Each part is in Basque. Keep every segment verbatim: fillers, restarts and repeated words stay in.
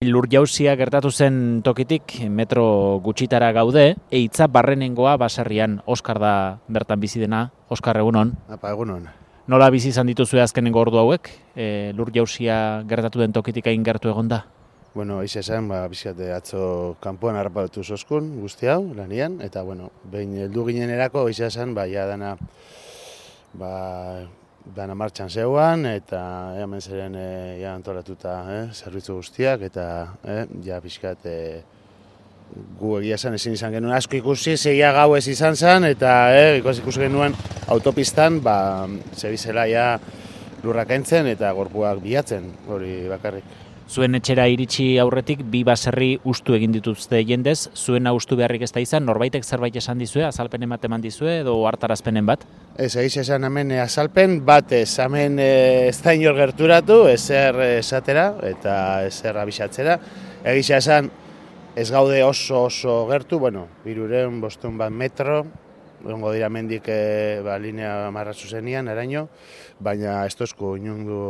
Lur jauzia gertatu zen tokitik metro gutxitara gaude, eitza barrenengoa baserrian. Oskar da bertan bizi dena. Oskar, egunon. Apa, egunon. Nola bizi izan dituzue azkenengo ordu hauek? E, lur jauzia gertatu den tokitik hain gertu egonda? Bueno, eixe esan, ba, bizkate atzo kanpoan harrapatu zoskun guzti hau, lanian, eta, bueno, behin heldu ginen erako, eixe esan, ba, ja dana, ba, dana martxan zeuan, eta hemen zeren e, ja antolatuta eh, zerbitzu guztiak, eta eh, ja bizkat e, gu egia esan ezin izan genuen asko ikusi, zeia gau ez izan zen, eta eh, ikusi ikusi genuen autopistan, ba, zebizela ja lurrak entzen eta gorpuak bilatzen, hori bakarrik. Zuen etxera iritsi aurretik bi baserri ustu egin dituzte jendez, zuena ustu beharrik ez da izan, norbaitek zerbait esan dizue, azalpen ematen eman dizue edo hartarazpenen bat? Ez, egiz esan hemen azalpen bat ez, hemen ez da inor gerturatu, ezer esatera eta ezer abisatzera. Egiz esan ez gaude oso oso gertu, bueno, birureun bostun bat metro, egongo dira mendik e, ba, linea marra zuzenian, eraino, baina ez tozko inundu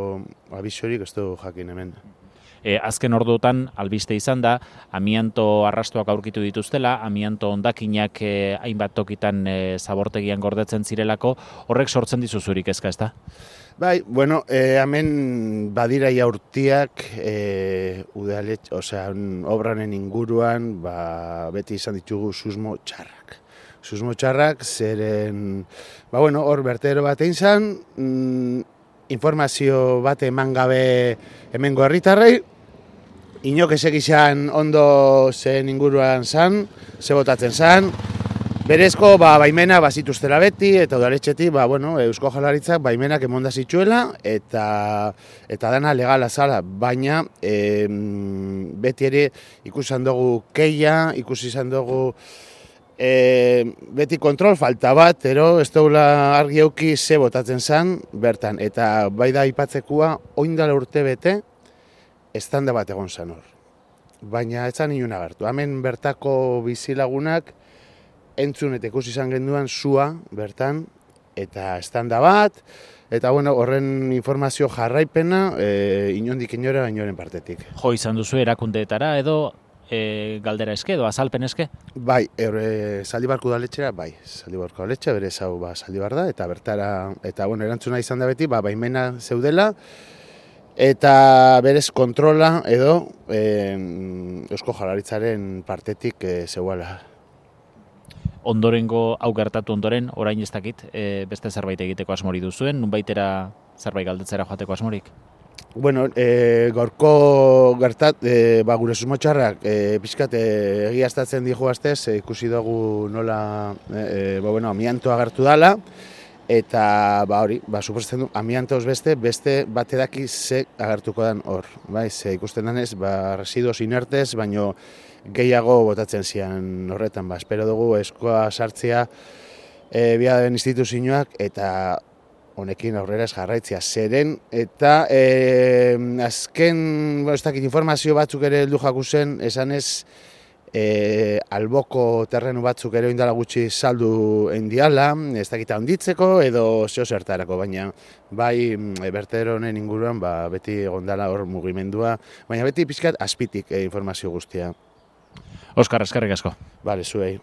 abisorik ez du jakin hemen. E, azken orduotan albiste izan da, amianto arrastoak aurkitu dituztela, amianto hondakinak e, hainbat tokitan e, zabortegian gordetzen zirelako, horrek sortzen dizu zurik ezka, ezta? Bai, bueno, e, hemen badira jaurtiak e, udalet, osea, obranen inguruan, ba, beti izan ditugu susmo txarrak. Susmo txarrak, zeren, ba, bueno, hor bertero bat egin zan, mm, informazio bat eman gabe hemengo herritarrei, inok ezek izan ondo zen inguruan zan, ze botatzen zan, berezko ba, baimena bazituztera beti, eta udaletxetik ba, bueno, Eusko Jaurlaritzak baimenak emonda zituela, eta, eta dana legala zala, baina e, beti ere ikusan dugu keia, ikusi izan dugu E, beti kontrol falta bat, ero ez daula argi euki ze botatzen zen bertan. Eta bai da aipatzekua, oindala urte bete, estanda bat egon zen hor. Baina ez zan inun agertu. Hemen bertako bizilagunak entzun eta ikusi izan genduan zua bertan, eta estanda bat, eta bueno, horren informazio jarraipena e, inondik inora inoren partetik. Jo izan duzu erakundeetara edo E, galdera eske edo azalpen eske? Bai, e, Zaldibarko udaletxera, bai, Zaldibarko udaletxea, bere hau ba, Zaldibar da, eta bertara, eta bueno, erantzuna izan da beti, ba, baimena zeudela, eta berez kontrola edo e, Eusko Jaurlaritzaren partetik e, zeuala. Ondorengo hau gertatu ondoren, orain ez dakit, e, beste zerbait egiteko asmori duzuen, nunbaitera zerbait galdetzera joateko asmorik? Bueno, e, gorko gertat, e, ba, gure susmotxarrak e, pixkat e, egiaztatzen dijo aztez, e, ikusi dugu nola e, ba, bueno, amianto agertu dala, eta ba, hori, ba, suposatzen du, amiantoz beste, beste bat edaki ze agertuko den hor. Bai, ze ikusten denez, ba, residuos inertez, baino gehiago botatzen zian horretan. Ba, espero dugu eskoa sartzea e, biaren instituzioak, eta honekin aurrera ez jarraitzea zeren, eta e, azken, bueno, ez dakit informazio batzuk ere heldu jaku zen, esan ez e, alboko terrenu batzuk ere indala gutxi saldu endiala, ez dakita onditzeko edo zeo zertarako, baina bai e, bertero honen inguruan ba, beti egondala hor mugimendua, baina beti pixkat azpitik e, informazio guztia. Oskar, eskerrik asko. Bale, zuei.